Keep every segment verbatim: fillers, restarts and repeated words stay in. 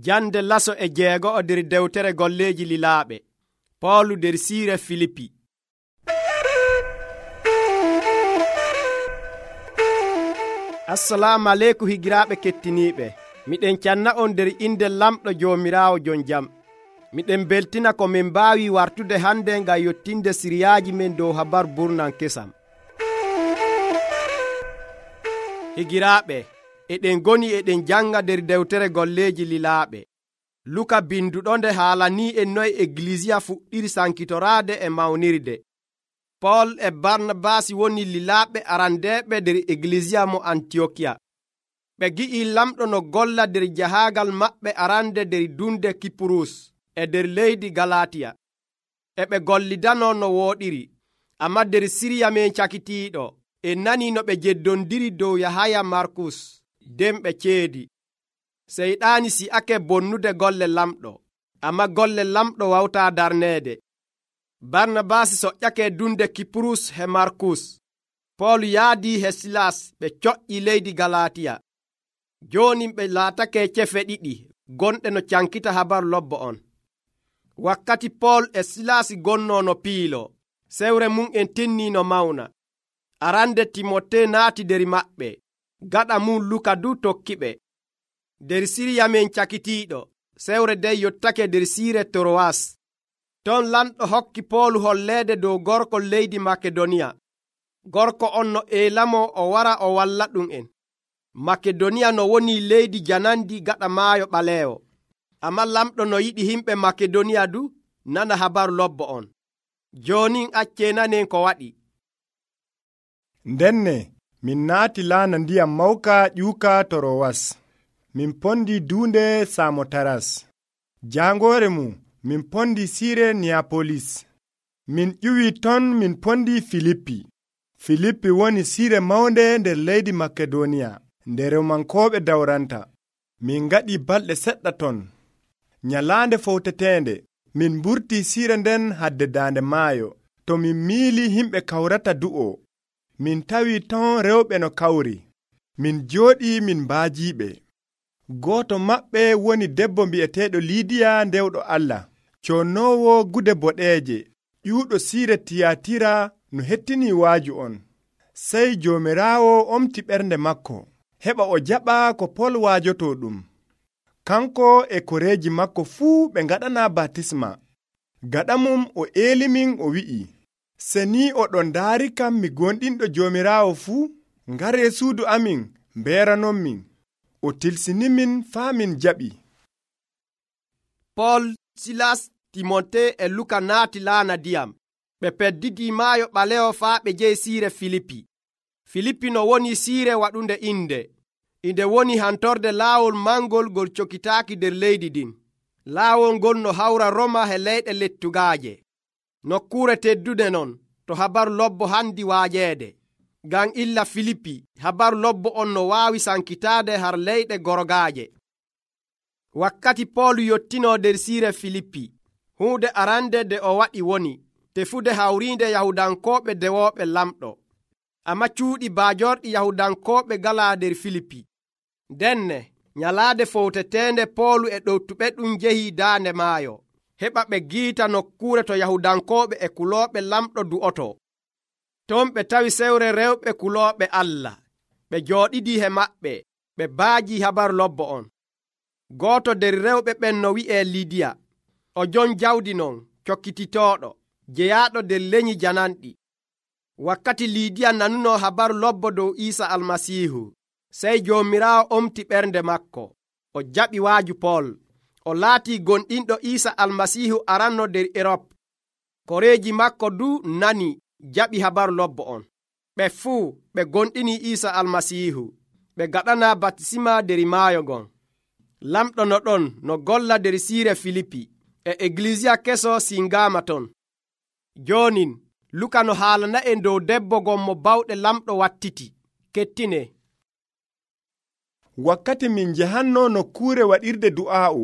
Jande laso e jeego'o nder dewtere golleeji lilaaɓe. Poolu nder siire Filipi. Assalamu aleykum higiraaɓe kettiniiɓe. Miɗen canna on nder inde lamɗo Joomiraawo jon jam. Miɗen beltina ko min mbaawi wartude hande ngam yottinde siriyaaji men dow habar burnan kesam. Higiraaɓe, eɗen goni eɗen janga nder dewtere golleeji lilaaɓe. Luka binduɗonde haalanii en noye eglisiya fuɗɗiri sankitoraade e mawnirde. Pol e Barnabasi woni lilaaɓe arandeeɓe nder eglisiya mo Antiyokiya. Ɓe gi'i lamɗo no golla nder jahaagal maɓɓe arande nder dunde Kipurus e nder leydi Galatiya. E ɓe gollidano no wooɗiri, amma nder siriya men cakitiiɗo en nani no ɓe jeddondiri dow Yahaya Markus, nden ɓe ceedi. Seyɗaani si'ake bonnude golle lamɗo, amma golle lamɗo wawtaa darneede. Barnabasi soƴƴake dunde Kipurus he Markus. Pool yaadii he Silas ɓe coƴƴi leydi Galatiya. Jooni ɓe laatake cefe ɗiɗi gonɗe no cankita habar lobbo on. Wakkati Pool e Silas gonnoo no piilo, sewre mum en tinnii no mawna. Arande Timote naati nder maɓɓe, gaɗa mum Luka du tokkiɓe. Nder siriya men cakitiiɗo, sewre dey yottake nder siire Torowas. Ton lamɗo hokki Pool holleede dow gorko leydi Makedoniya. Gorko on no eelamo o wara o walla ɗum en. Makedoniya no woni leydi janandi gaɗa maayo ɓaleewo. Amma lamɗo no yiɗi himɓe Makedoniya du nana habaru lobbo on. Joonin accee nanen ko waɗi. Ndenne min naati laana ndiyam mawka ƴuuka Torowas. Min pondi duunde Samotaras. Jaangoore mum min pondi siire Niyapolis. Min ƴuwi ton min pondi Filippi. Filippi woni siire mawnde nder leydi Makedoniya, nde Rewmankooɓe dawranta. Min ngaɗi balɗe seɗɗa ton. Nyalaande fowteteende, min mburti siire nden hadde daande maayo, to min miili himɓe kawrata du'o. Min tawi ton rewɓe no kawri. Min jooɗii min mbaajiiɓe. Gooto maɓɓe woni debbo mbi'eteeɗo Liidiya ndewɗo Allah, coonnoowo gude boɗeeje, ƴuuɗo siire Tiyatira no hettinii waaju on. Sey Joomiraawo omti ɓernde makko, heɓa o jaɓa ko Pol waajotoo ɗum. Kanko e koreeji makko fuu ɓe ngaɗanaa batisma. Gaɗa mum o eelimin o wi'i, se ni oɗon ndaari kam mi gonɗinɗo Joomiraawo fuu, ngaree suudu amin mbeeranonmin. O tilsinimin faa min jaɓi. Pol, Silas, Timote e Luka naati laana diyam. Ɓe peddidii maayo ɓaleewo faa ɓe jehi siire Filipi. Filipi no woni siire waɗunde inde. Inde woni hantorde laawol mangol ngol cokitaaki nder leydi ɗin. Laawol ngol no hawra Roma he leyɗe lettugaaje. Nokkuure teddude non to habaru lobbo handi waajeede. Ngam illa Filipi, habaru lobbo on no waawi sankitaade har leyɗe gorogaaje. Wakkati Poolu yottinoo nder siire Filipi, huunde arande nde o waɗi woni tefude hawriinde Yahudankooɓe dewooɓe lamɗo. Amma cuuɗi baajorɗi Yahudankooɓe galaa nder Filipi. Ndenne nyalaade fowteteende Poolu e ɗowtuɓe ɗum njehii daande maayo, heɓa ɓe giita nokkuure to Yahudankooɓe e kulooɓe lamɗo du'oto. Ton ɓe tawi sewre rewɓe kulooɓe Allah. Ɓe jooɗidii he maɓɓe, ɓe baajii habaru lobbo on. Gooto nder rewɓe ɓen no wi'ee Liidiya, o jon jawdi non, cokkititooɗo, jeyaaɗo nder leñi jananɗi. Wakkati Liidiya nanunoo habaru lobbo dow Iisa Almasiihu, sey Joomiraawo omti ɓernde makko. O jaɓi waaju Pool. O laatii gonɗinɗo Iisa Almasiihu aranno nder Erop. Koreeji makko du nani jaɓi habaru lobbo on. Ɓe fuu ɓe gonɗinii Iisa Almasiihu. Ɓe gaɗanaa batisima nder maayo ngon. Lamɗo no ɗon no golla nder siire Filipi, e eglisiya keso singaama ton. Joonin Luka no haalana en dow debbo gon mo bawɗe lamɗo wattiti. Kettine. Wakkati min njahanno nokkuure waɗirde du'aa'u,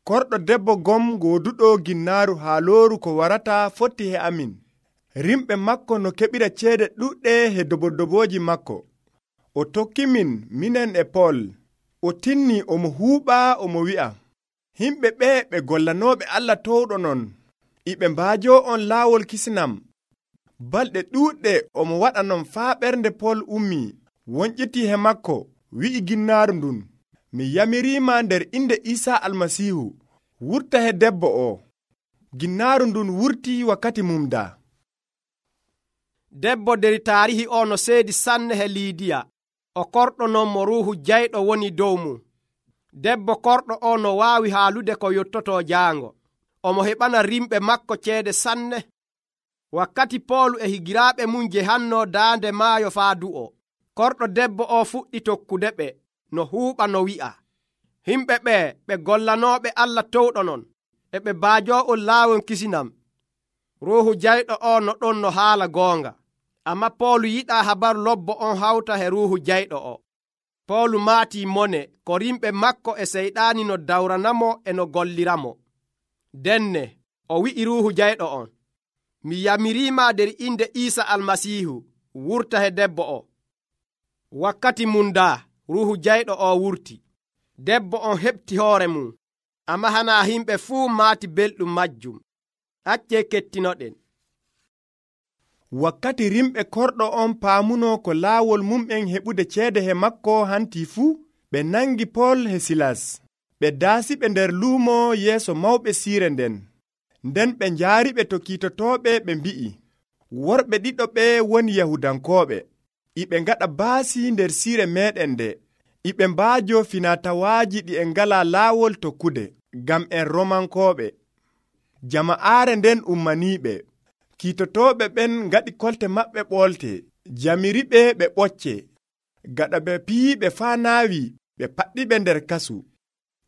korɗo debbo gom gooduɗo ginnaaru haalooru ko warata fotti he amin. Rimɓe makko no keɓira ceede ɗuɗɗe he dobodobooji makko. O tokki min minen e Pol. O tinni omo huuɓa omo wi'a, Himɓe ɓe ɓe gollanooɓe Allah towɗo non, iɓe mbaajoo on laawol kisinam. Balɗe ɗuuɗɗe omo waɗa non faa ɓernde Pol ummii, wonƴitii he makko, wi'i ginnaaru ndun, mi yamiriima nder inde Iisaa Almasiihu, wurta he debbo o. Ginnaaru ndun wurtii wakkati mumda. Debbo nder taarihi o no seedi sanne he Liidiya, o korɗo non mo Ruuhu Jayɗo woni dow mum. Debbo korɗo o no waawi haalude ko yottotoo jaango, omo heɓana rimɓe makko ceede sanne. Wakkati Poolu e higiraaɓe mum njehannoo daande maayo faa du'o, korɗo debbo o fuɗɗi tokkude ɓe no huuɓa no wi'a. Himɓe ɓee ɓe gollanooɓe Allah towɗo non, e ɓe baajoo'on laawol kisinam. Ruuhu Jayɗo o no ɗon no haala goonga, ammaa Poolu yiɗaa habaru lobbo on hawta he Ruuhu Jayɗo o. Poolu maatii mone ko rimɓe makko e Seyɗaani no dawranamo e no golliramo. Denne o wi'i Ruuhu Jayɗo on, mi yamiriima nder inde Iisa Almasiihu, wurta he debbo o. Wakkati mundaa Ruuhu Jayɗo o wurti. Debbo on heɓti hoore mum, ammaa hanaa himɓe fuu maati belɗum majjum. Accee kettinoɗen. Wakkati rimɓe korɗo on paamunoo ko laawol mum'en heɓude ceede he makko hantii fuu, ɓe nangi Pol he Silas. Ɓe daasiɓe nder luumo yeeso mawɓe siire nden. Nden ɓe njaariɓe to kiitotooɓe ɓe mbi'i, worɓe ɗiɗo ɓe woni Yahudankooɓe. Iɓe ngaɗa baasi nder siire meeɗen nde. Iɓe mbaajo finatawaaji ɗi en ngalaa laawol tokkude, ngam en Romankooɓe. Jama'aare nden ummaniiɓe. Kiitotooɓe ɓen ngaɗi kolte maɓɓe ɓoolte, jamiriɓe ɓe ɓocce. Gaɗa ɓe piyiɓe faa naawi, ɓe paɗɗiɓe nder kasu.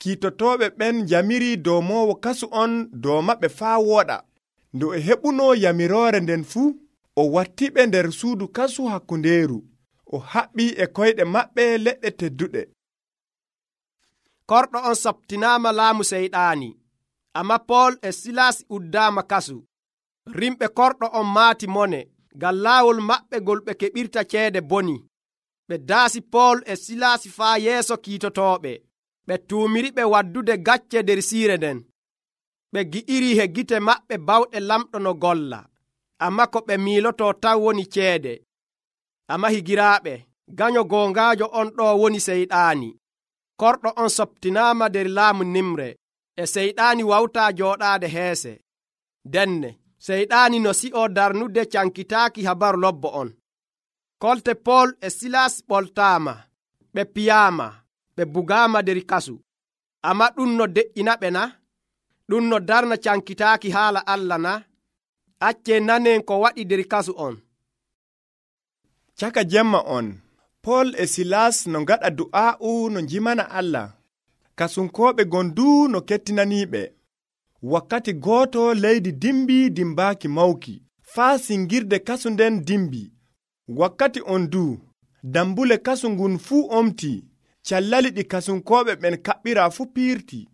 Kiitotooɓe ɓen jamiri doomoowo kasu on dow maɓɓe faa wooɗa. Nde o heɓunoo yamiroore nden fuu, o wattiɓe nder suudu kasu hakkundeeru. O haɓɓi e koyɗe maɓɓe leɗɗe tedduɗe. Korɗo on sabtinaama laamu Seyɗaani, ammaa Pol e Silas uddaama kasu. Rimɓe korɗo on maati mone ngam laawol maɓɓe ngol ɓe keɓirta ceede boni. Ɓe daasi Pol e Silas faa yeeso kiitotooɓe. Ɓe tuumiriɓe waddude gacce nder siire nden. Ɓe gi'iri he gite maɓɓe bawɗe lamɗo no golla, ammaa ko ɓe miilotoo taw woni ceede. Ammaa higiraaɓe, ganyo goongaajo on ɗo woni Seyɗaani. Korɗo on sobtinaama nder laamu Nimre, e Seyɗaani wawtaa jooɗaade heese. Denne Seyɗaani no si'oo darnude cankitaaki habaru lobbo on. Kolte Pol e Silas ɓoltaama, ɓe piyaama, ɓe bugaama nder kasu. Ammaa ɗum no de'inaɓe na? Ɗum no darna cankitaaki haala Allah na? Accee nanen ko waɗi nder kasu on. Caka jemma on, Pol e Silas no ngaɗa du'aa'u no njimana Allah. Kasunkooɓe gonduu no kettinaniiɓe. Wakkati gooto leydi dimbi dimbaaki mawki, faa singirde kasu nden dimbi. Wakkati on duu, dambule kasu ngun fuu omti, callali ɗi kasunkooɓe ɓen kaɓɓira fuu piirti.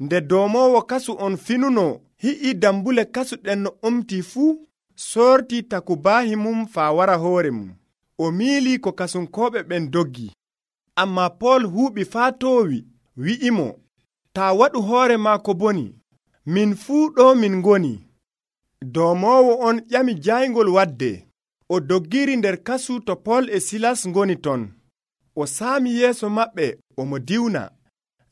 Nde doomoowo kasu on finuno, hi'i dambule kasu ɗen no omti fuu, soorti takubaahi mum faa wara hoore mum. O miili ko kasunkooɓe ɓen doggi. Ammaa Pol huuɓi faa toowi, wi'imo, taa waɗu hoore maa ko boni. Min fuu ɗo min ngoni. Doomoowo on ƴami jayngol wadde. O doggiri nder kasu to Pol e Silas ngoni ton. O saami yeeso maɓɓe omo diwna.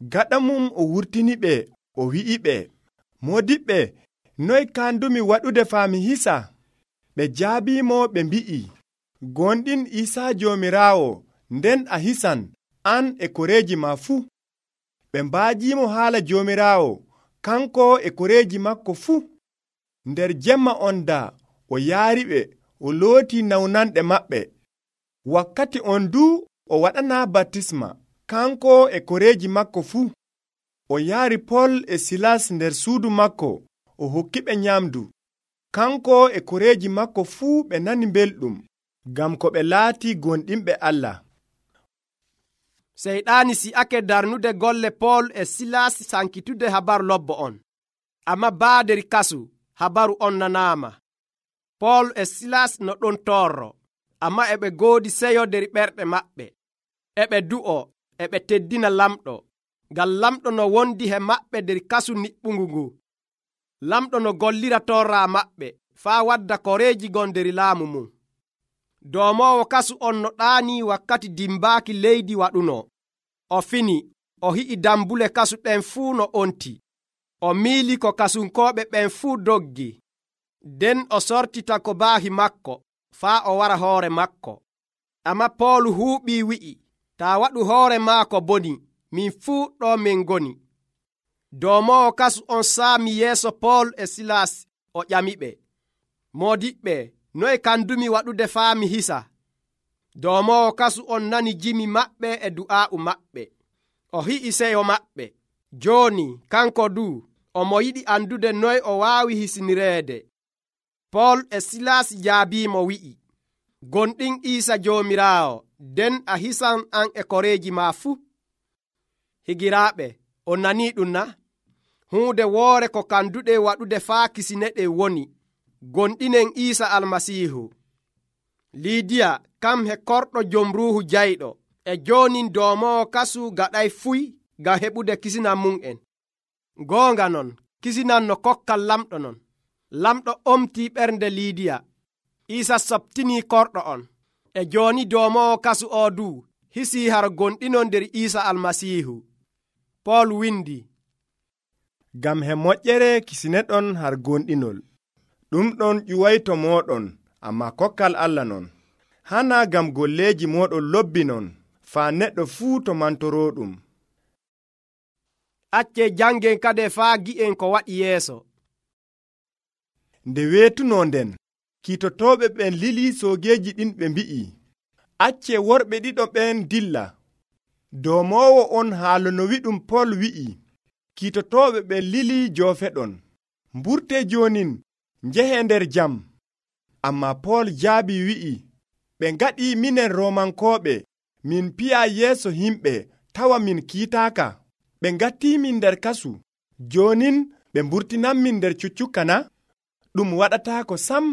Gaɗa mum o wurtiniɓe, o wi'iɓe, moodiɓɓe, noy kaandumi waɗude faa mi hisa? Ɓe jaabiimo ɓe mbi'i, gonɗin Iisaa Joomiraawo, nden a hisan, an e koreeji maa fuu. Ɓe mbaajiimo haala Joomiraawo, kanko e koreeji makko fuu. Nder jemma on daa, o yaariɓe, o looti nawnanɗe maɓɓe. Wakkati on duu o waɗanaa baptisma, kanko e koreeji makko fuu. O yaari Pol e Silas nder suudu makko, o hokkiɓe nyamdu. Kanko e koreeji makko fuu ɓe nani belɗum, ngam ko ɓe laati gonɗinɓe Allah. Seyɗaani si'ake darnude golle Pol e Silas sankitude habaru lobbo on. Amma baa nder kasu, habaru on nanaama. Pol e Silas no ɗon torro, amma e ɓe goodi seyo nder ɓerɗe maɓɓe. E ɓe du'o, e ɓe teddina lamɗo. ngam lamɗo no wondi he maɓɓe nder kasu niɓɓungu ngu. Lamɗo no gollira torra maɓɓe faa wadda koreeji gon nder laamu mum. Doomoowo kasu on no ɗaanii wakkati dimbaaki leydi waɗuno. O fini, o hi'i dambule kasu ɓen fuu no onti. O miili ko kasunkooɓe ɓen fuu doggi. Nden o sortita ko baahi makko faa o wara hoore makko. Amma Pool huuɓii wi'i, taa waɗu hoore maako boni, min fuu ɗo min ngoni. Doomoowo kasu on saami yeeso Pool e Silas o ƴamiɓe, moodiɓɓe, noye kandumi waɗude faa mi hisa? Doomoowo kasu on nani jimi maɓɓe e du'aa'u maɓɓe. O hi'i seyo maɓɓe. Jooni kanko du omo yiɗi andude noye o waawi hisinireede. Pool e Silas jaabiimo wi'i, gonɗin Iisa Joomiraawo, nden a hisan an e koreeji maa fuu. Higiraaɓe, on nanii ɗum na? Huunde woore ko kanduɗe waɗude faa kisineɗe woni, gonɗinen Iisa Almasiihu. Liidiya kam he korɗo jom ruuhu jayɗo, e joonin doomoowo kasu gaɗay fuy ngam heɓude kisinan mum'en. Goonga non, kisinan no kokkal lamɗo non. Lamɗo omtii ɓernde Liidiya. Iisa sobtinii korɗo on. E jooni doomoowo kasu oo du hisii haro gonɗinon nder Iisa Almasiihu. Pool windi, ngam he moƴƴere kisineɗon har gonɗinol. Ɗum ɗon ƴuway to mooɗon, amma kokkal Allah non. Hana ngam golleeji mooɗon lobbinon, faa neɗɗo fuu to mantoroɗum. Accee jangen kade faa gi'en ko waɗi yeeso. Nde weetuno nden, kiitotooɓe ɓen lili soogeeji ɗin ɓe mbi'i, accee worɓe ɗiɗo ɓen dilla. Doomoowo on haala no wiɗum Pool wi'i, kiitotooɓe ɓen lili joofeɗon. Mburte joonin, njehe nder jam. Amma Pool jaabi wi'i, ɓe ngaɗi minen Roomankooɓe, min piya yeeso himɓe, tawa min kiitaaka. Ɓe ngattimin nder kasu, joonin ɓe mburtinanmin nder cuccukka na? Ɗum waɗataako sam.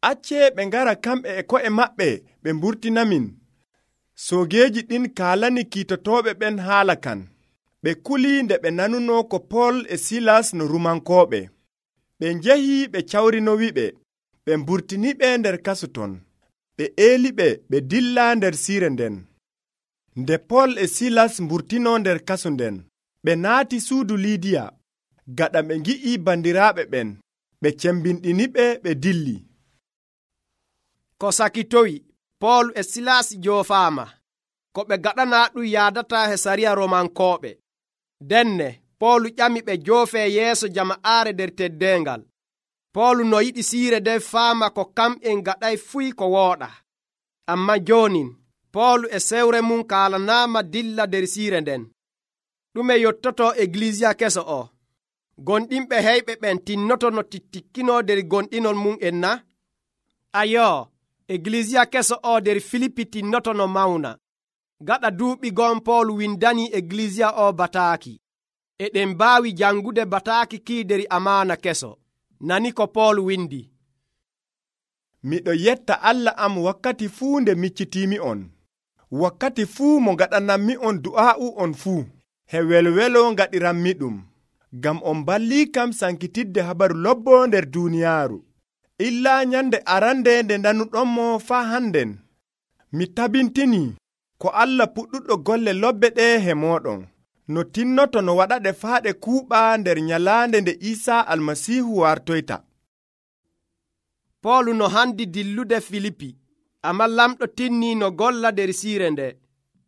Accee ɓe ngara kamɓe e ko'e maɓɓe ɓe mburtinamin. Soogeeji ɗin kaalani kiitotooɓe ɓen haala kan. Ɓe kulii nde ɓe nanuno ko Pool e Silas no Rumankooɓe. Ɓe njehi ɓe cawrinowiɓe, ɓe mburtiniɓe nder kasu ton. Ɓe eeliɓe ɓe dilla nder siire nden. Nde Pool e Silas mburtino nder kasu nden, ɓe naati suudu Liidiya. Gaɗa ɓe ngi'i bandiraaɓe ɓen, ɓe cembinɗiniɓe ɓe dilli. Ko sakitowi, Pool e Silas joofaama, ko ɓe gaɗanaa ɗum yaadata he sariya Romankooɓe. Denne, Pool ƴami ɓe joofee yeeso jama'aare nder teddeengal. Pool no yiɗi siire nden faama ko kamɓen gaɗay fuy ko wooɗa. Amma joonin, Pool e sewre mum kaalanaama dilla nder siire nden. Ɗume yottoto Egiliisiya keso o? Gonɗinɓe heyɓe ɓen tinnoto no tittikkinoo nder gonɗinol mum'en na? Ayoo, Egiliisiya keso o nder Filipi tinnoto no mawna. Gaɗa duuɓi gon Pool windanii Egiliisiya o bataaki. E ɗen mbaawi jangude bataaki kii nder amaana keso. Nani ko Pool windi. Miɗo yetta Allah am wakkati fuu nde miccitiimi on. Wakkati fuu mo gaɗanammi on du'aa'u on fuu. He welwelo ngaɗiranmi ɗum. Ngam on ballii kam sankitidde habaru lobbo nder duuniyaaru. Illaa nyande arande nde nanuɗonmo faa hannden. Mi tabintinii ko Allah puɗɗuɗo golle lobbe ɗe he mooɗon. No tinnoto no waɗaɗe faa ɗe kuuɓa nder nyalaande nde Iisaa Almasiihu wartoyta. Pool no handi dillude Filipi, amma lamɗo tinnii no golla nder siire nde.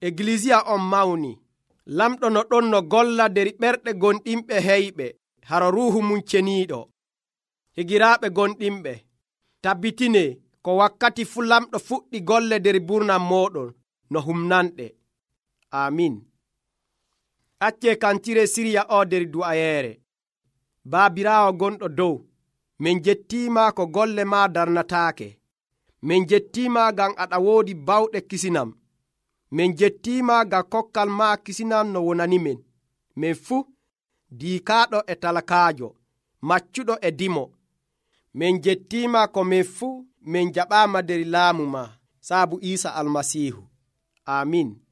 Egiliisiya on mawni. Lamɗo no ɗon no golla nder ɓerɗe gonɗinɓe heyɓe, haro ruuhu mum ceniiɗo. Higiraaɓe gonɗinɓe, tabbitinee ko wakkati fuu lamɗo fuɗɗi golle nder burnam mooɗon no humnanɗe. Amin. Accee kantire siriya o nder du'ayeere. Baabiraawo gonɗo dow, min jettiima ko golle ma darnataake. Min jettiima ngam aɗa woodi bawɗe kisinam. Min jettiima ngam kokkal ma kisinam no wonanimin. Min fuu, diikaaɗo e talakaajo, maccuɗo e dimo. Min jettiima ko min fuu min jaɓaama nder laamu ma, saabu Iisa Almasiihu. Amin.